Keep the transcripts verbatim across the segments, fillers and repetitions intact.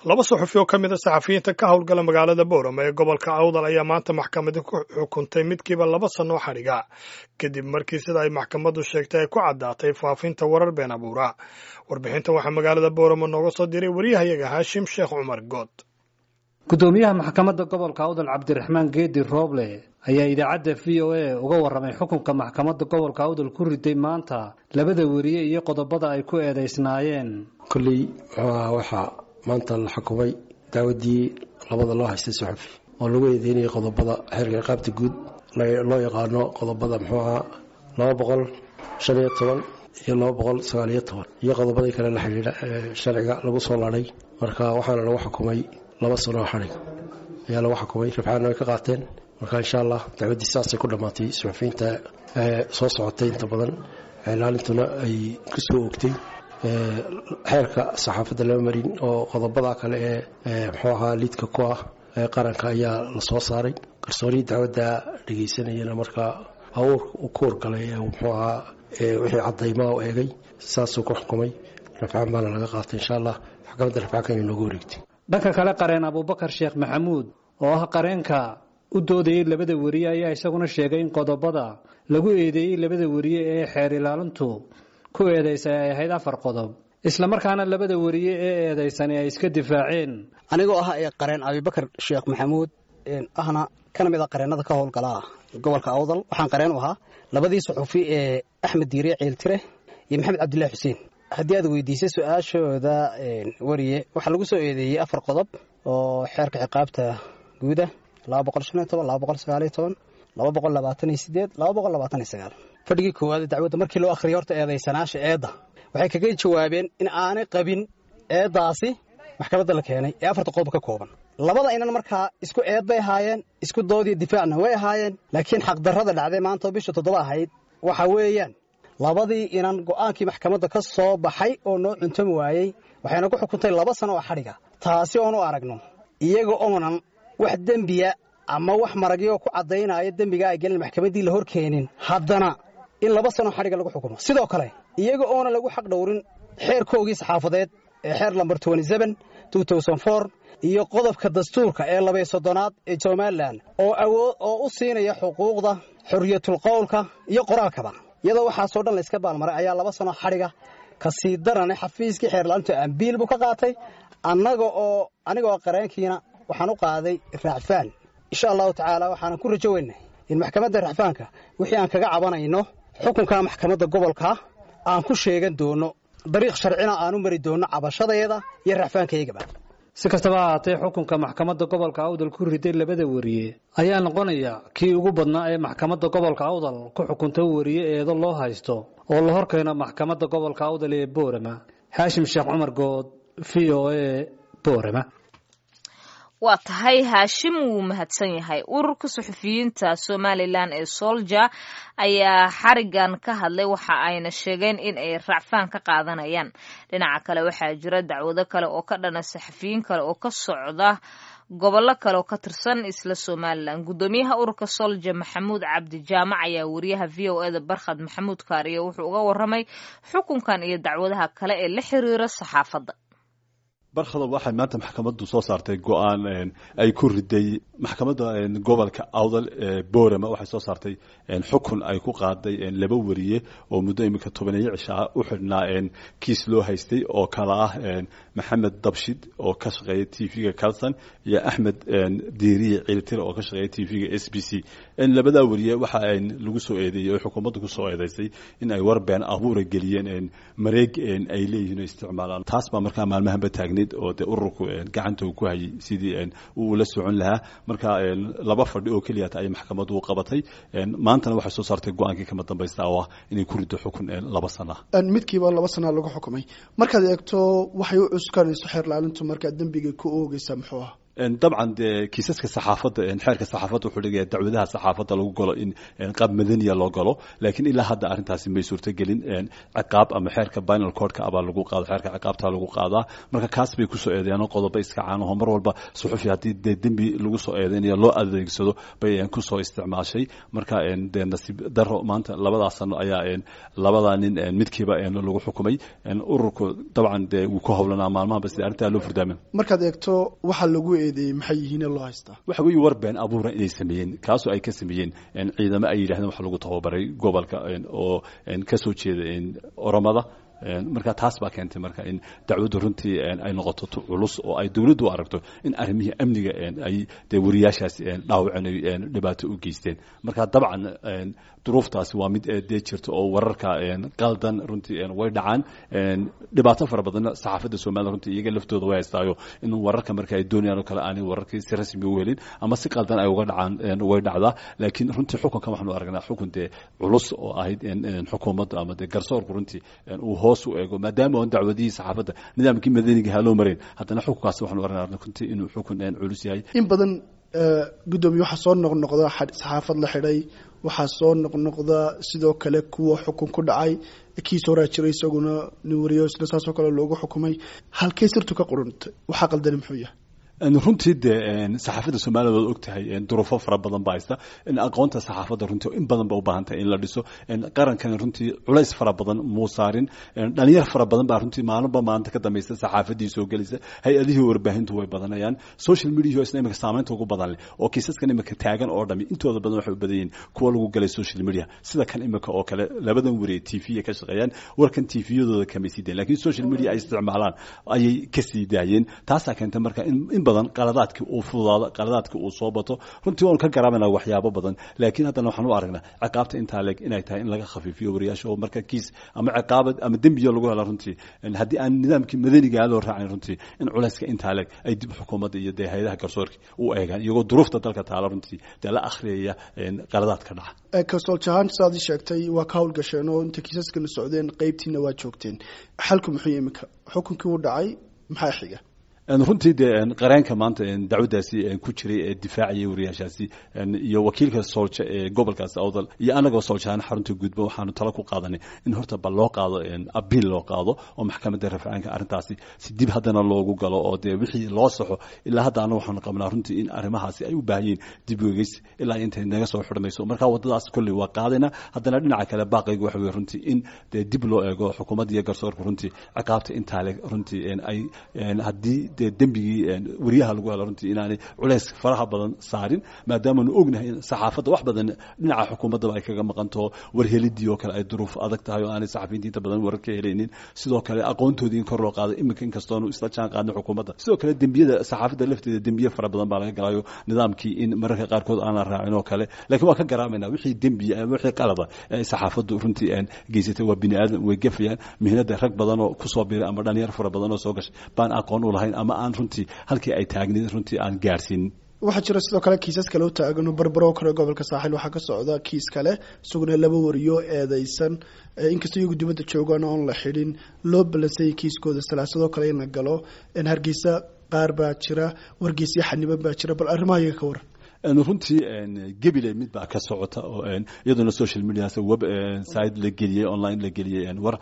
Laba suxufi oo ka mid a saxafiyiinta ka howlgala magaalada Boorama ee gobolka Awdal ayaa maanta maxkamadi ku xukuntay midkiiba laba sano xadhiga, kadib markii sida ay maxkamaddu sheegtay ay ku caddaatay faafinta warar been abuura. Warbixintan waxaa magaalada Boorama nooga soo diray wariyahayaga Haashim Sheekh Cumar Good. Gudoomiyaha maxkamadda gobolka Awdal, Cabdiraxmaan Geedi Rooble, ayaa idaacadda V O A uga warramay xukunka maxkamadda gobolka Awdal ku riday maanta labada weriye iyo qodobada ay ku eedaysnaayeen. Kolley muxuu ahaa, waxaa maanta la xukumay dacwaddii labada loo haystay suxufi oo lagu eedeynayay qodobada xeerka ciqaabta guud loo yaqaano, qodobada muxuu ahaa laba boqol shan iyo toban iyo laba boqol sagaal iyo toban iyo qodobadii kale la xidhiidha ee sharciga lagu soo ladhay. Marka waxaana lagu xukumay laba sano oo xadhig ayaa lagu xukumay, rafcaanna way ka qaateen. Marka insha Allah dacwaddii saasay ku dhammaatay. Suxufiyiinta soo socotay inta badan ilaalintuna ay ku soo ogtay xeerka saxaafadda lama marin oo qodobada kale ee muxuu ahaa liidka ku ah ee qaranka ayaa la soo saaray. Qarsoorihii dacwadda dhegaysanayana markaa awuur ku wargalay ee muxuu ahaa wixii caddaymaa u eegay, saasuu ku xukumay. Rafcaan baana laga qaatay, insha Allah maxkamadda rafcaanka inay noogu wareegtay. Dhanka kale, qareen Abuubakar Sheekh Maxamuud oo ah qareenka u doodayay labada weriye ayaa isaguna sheegay in qodobada lagu eedeeyey labada weriye ee xeer ilaalintu ku eedaysay ay ahayd afar qodob, islamarkaana labada weriye ee eedaysani ay iska difaaceen. Anigoo ah ee qareen Abibakar Sheekh Maxamuud, ahna kana mid a qareennada ka howlgala gobolka Awdal, waxaan qareen u ahaa labadii suxufi ee Axmed Diiriye Ciiltire iyo Maxamed Cabdillahi Xuseen. Haddii aad weydiisay su-aashooda weriye, waxaa lagu soo eedeeyey afar qodob oo xeerka ciqaabta guuda: laba boqol shan iyo toban, laba boqol sagaaliyo toban, laba boqol labaatan iyo sideed, laba boqol labaatan iyo sagaal. Fadhigii koowaad dacwadda markii loo akhriyay horta eedaysanaasha eedda, waxay kaga jawaabeen in aanay qabin eeddaasi maxkamadda la keenay ee afarta qodob ka kooban. Labada inan markaa isku eed bay ahaayeen, isku doodiyo difaacna way ahaayeen, laakiin xaqdarrada dhacday maanta oo bisha toddoba ahayd waxa weeyaan labadii inan go'aankii maxkamadda ka soo baxay oo noo cuntami waayey, waxayna ku xukuntay laba sano oo xadhiga, taasi oonu aragno iyaga oonan wax dembiya ama wax maragyo ku caddaynaya dembiga ay gelin maxkamaddii la hor keenin, haddana in laba sano xadhiga lagu xukumo. Sidoo kale iyaga oonan lagu xaq dhowrin xeerkoogii saxaafadeed ee xeer lambar iyo qodobka dastuurka ee labay soddonaad ee Somalilan oo awood oo u siinaya xuquuqda xorriyatul qowlka iyo qoraalkaba, iyadoo waxaasoo dhan layska baalmaray ayaa laba sano xadhiga. Ka sii darane, xafiiskii xeerlaalintu ambiil buu ka qaatay. Annaga oo aniga oo qareenkiina waxaan u qaaday racfaan. Insha Allahu tacaala waxaanan ku rajo weynay in maxkamadda racfaanka wixii aan kaga cabanayno xukunka maxkamadda gobolka aan ku sheegan doono, dariiq sharcina aan u mari doono cabashadeeda iyo racfaankaygaba. Si kastaba ha ahaatee, xukunka maxkamadda gobolka Awdal ku riday labada weriye ayaa noqonaya kii ugu badnaa ee maxkamadda gobolka Awdal ku xukunta weriye eedo loo haysto oo la horkeeno maxkamadda gobolka Awdal ee Boorama. Haashim Sheekh Cumar Good, V O A, Boorama. Waa tahay, Haashim wuu mahadsan yahay. Ururka suxufiyiinta Somalilan ee Solja ayaa xarigan ka hadlay, waxa ayna sheegeen in ay racfaan ka qaadanayaan. Dhinaca kale, waxaa jira dacwado kale oo ka dhana saxafiyiin kale oo ka socda gobollo kale oo ka tirsan isla Somalilan. Guddoomiyaha ururka Solja, Maxamuud Cabdi Jaamac, ayaa wariyaha V O eda Barkhad Maxamuud Kaariyo wuxuu uga waramay xukunkan iyo dacwadaha kale ee la xiriira saxaafadda. Barkhado, waxay maanta maxkamaddu soo saartay go-aan ay ku riday maxkamadda gobolka Awdal ee Boorama. Waxay soo saartay xukun ay ku qaaday laba weriye oo muddo iminka tobaneeyo cishaa u xidhnaa kiis loo haystay, oo kala ah Maxamed Dabshid oo ka shaqeeya T V-ga Carlson iyo Axmed Diiriye Ciiltir oo ka shaqeeya T V-ga S B C. Labadaa weriye waxa lagu soo eedeeyey oo xukuumaddu ku soo eedeysay in ay war been abuura geliyeen mareeg ay leeyihiin oo isticmaalaan. Taas baa markaa maalmahanba taagnayd oo dee ururku gacanta uu ku hayay sidii uu la socon lahaa. Marka laba fadhi oo keliya ayay maxkamaddu u qabatay, maantana waxay soo saartay go-aankii kama dambaysta oo ah inay ku riddo xukun laba sana. Midkiiba laba sana lagu xukumay. Markaad eegto waxay u cuskanayso xeer laalintu markaa dembiga ku oogeysa muxuu ah? Dabcan dee kiisaska saxaafadda, xeerka saxaafadda wuxuu dhigaya dacwadaha saxaafadda lagu galo in qaab madaniya loo galo, laakiin ilaa hadda arrintaasi may suurtagelin. Ciqaab ama xeerka penal codeka abaa lagu qaado, xeerka ciqaabta lagu qaadaa. Marka kaas bay kusoo eedeeyaan qodobo iska caanaho mar walba suxufi haddii dee dembi lagu soo eedeynayo loo adeegsado bay kusoo isticmaashay. Marka dee nasiib daro maanta labadaas sano ayaa labadaa nin midkiiba lagu xukumay. Ururku dabcan dee wuu ku howlanaa maalmahanba sidii arrintaa loo furdaamin. Markaad eegto waxaa lagu eedeeyey maxay yihiin loo haystaa? Waxa weeye war been abuura inay sameeyeen, kaasoo ay ka sameeyeen ciidamo ay yidhahdeen waxa lagu tababaray gobolka oo ka soo jeeda Oromada. Marka taas baa keentay marka in dacwaddu runtii ay noqoto culus oo ay dowladdu u aragto in arrimihii amniga ay dee wariyaashaasi dhaawaceen, dhibaato u geysteen. Marka dabcan duruuftaasi waa mid dee jirta oo wararka qaldan runtii way dhacaan. Dhibaato fara badanna saxaafadda Soomaalida runtii iyaga laftooda way haystaayo, in wararka marka ay doonayaan oo kale aanay wararkii si rasmi u helin ama si qaldan ay uga dhacaan way dhacdaa. Laakiin runtii xukunkan waxaanu aragnaa xukun dee culus oo ahayd xukuumadda ama dee garsoorku runtii uu hoos u eego, maadaama oon dacwadihii saxaafadda nidaamkii madaniga ha loo marayn, haddana xukunkaasi waxaanu aragnaa runtii inuu xukun culus yahay. In badan guddoomiye waxaa soo noqnoqda saxaafad la xidhay, waxaa soo noqnoqda sidoo kale kuwa xukun ku dhacay, kiis horaa jiray isaguna nin wariyo isna saasoo kale loogu xukumay. Halkay sirtu ka quruntay? Waxaa qaldani muxuu yahay? Runtii dee saxaafadda Soomaalida waad og tahay, duruufo fara badan baa haysta. Aqoonta saxaafadda runtii in badan ba u baahan tahay in la dhiso. Qarankana runtii culays fara badan muu saarin. Dhalinyar fara badan baa runtii maalinba maalinta ka dambaysa saxaafaddii soo gelaysa, hay-adihii warbaahintu way badanayaan, social media isna imika saamaynta ugu badan leh oo kiisaskan imika taagan oo dhami intooda badan waxay u badan yihiin kuwa lagu galay social media, sida kan imika oo kale labadan wariye T V ka shaqeeyaan warkan T V-yadooda kamay sii dayn, laakiin social media ay isticmaalaan ayay ka sii daayeen. Taasaa keentay marka in badan qaladaadkii uu fududaado, qaladaadkii uu soo bato. Runtii waanu ka garaabanaa waxyaabo badan, laakiin haddana waxaan u aragnaa ciqaabta intaa leeg inay tahay in laga khafiifiyo wariyaasha, oo marka kiis ama ciqaabad ama dembiyo lagu helo runtii haddii aan nidaamkii madanigaa loo raacin runtii in culayska intaa leeg ay dib xukuumadda iyo dee hay-adaha garsoorka u eegaan, iyagoo duruufta dalka taala runtii dee la akhriyaya qaladaadka dhaca. Kasooljahaan sidaad ii sheegtay waa ka howlgasheen oo inta kiisaskana socdeen qeybtiina waa joogteen. Xalku muxuu imika? Xukunkii uu dhacay, maxaa xiga? Runtii dee qareenka maanta dacwaddaasi ku jiray ee difaacayay wariyaashaasi iyo wakiilka soolja ee gobolkaasi Awdal iyo anagoo sooljahaan xarunta guudba waxaanu talo ku qaadanay in horta bal loo qaado abiil loo qaado oo maxkamadda rafcaanka arrintaasi si dib haddana loogu galo oo dee wixii loo saxo. Ilaa hadda anagu waxaanu qabnaa runtii in arrimahaasi ay u baahan yihiin dib u eegis ilaa intay naga soo xidhmayso. Marka waddadaas kolley waa qaadayna. Haddana dhinaca kale baaqaygu waxa weye runtii in dee dib loo eego xukuumadda iyo garsoorka runtii ciqaabta intaa le runtii ay haddii dee dembigii wariyaha lagu helo runtii inaanay culays faraha badan saarin, maadaamaanu ognahay in saxaafadda wax badan dhinaca xukuumaddaba ay kaga maqantaho, warhelidii oo kale ay duruuf adag tahay oo aanay saxafiyiinta inta badan warar ka helaynin. Sidoo kale aqoontoodii in kor loo qaaday iminka inkastoonu isla jaan qaadnay xukuumadda. Sidoo kale dembiyada saxaafadda lafteeda dembiye fara badan baa laga galayo, nidaamkii in mararka qaarkood aan la raacin oo kale, laakiin waa ka garaamayna wixii dembiya ama wixii qalada ee saxaafaddu runtii geysatay. Waa bini aadam, way gafayaan mihnada, rag badan oo kusoo biiray ama dhalinyar fara badan oo soo gashay baan aqoon u lahayn ama aan runtii halkii ay taagnayd runtii aan gaarsiinin. Waxaa jira sidoo kale kiisas kale u taagan Barbaro kale, gobolka Saaxil waxaa ka socda kiis kale isaguna laba wariyo eedeysan, inkastoo iyagu dibadda joogaan oon la xidhin loo balansayay kiiskooda salaasadoo kale in la galo. Hargeysa qaar baa jira, wargeysyo xaniban baa jira, bal arrimaha iyaga ka waran. Runtii gebile mid baa ka socota oo iyaduna social medias web site la geliyey, online la geliyey, war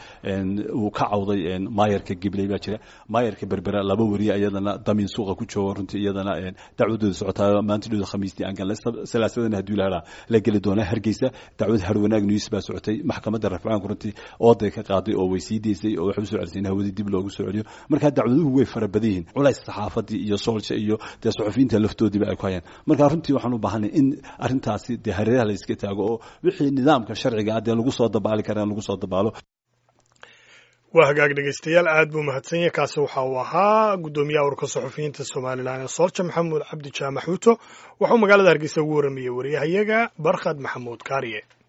uu ka cawday maayarka Gibiley baa jira. Maayarka Berbera laba wariye iyadana damiin suuqa ku jooga runtii iyadana dacwadooda socotaa maantidooda khamiistii aan galnay, salaasadana haddii la helaa la geli doonaa. Hargeysa dacwad Harwanaag News baa socotay, maxkamadda rafcaanku runtii ooday ka qaaday oo way sii deysay oo waxay u soo celisay in hawadii dib loogu soo celiyo. Marka dacwaduhu way fara badan yihiin, culays saxaafadii iyo soolsha iyo dee suxufiyiinta laftoodiiba ay ku hayaan. Marka runtii waxaan u baahanay in arrintaasi dee hareeraha la iska taago oo wixii nidaamka sharciga ah dee lagu soo dabaali karaa lagu soo dabaalo. Waa hagaag dhegeystayaal, aad buu mahadsan yahay. Kaasi waxa uu ahaa guddoomiyaha ururka suxufiyiinta Somalilan ee Soolja, Maxamuud Cabdi Jaamac Xuuto. Waxuu magaalada Hargeysa ugu warramayey wariyahayaga Barkhad Maxamuud Kaariye.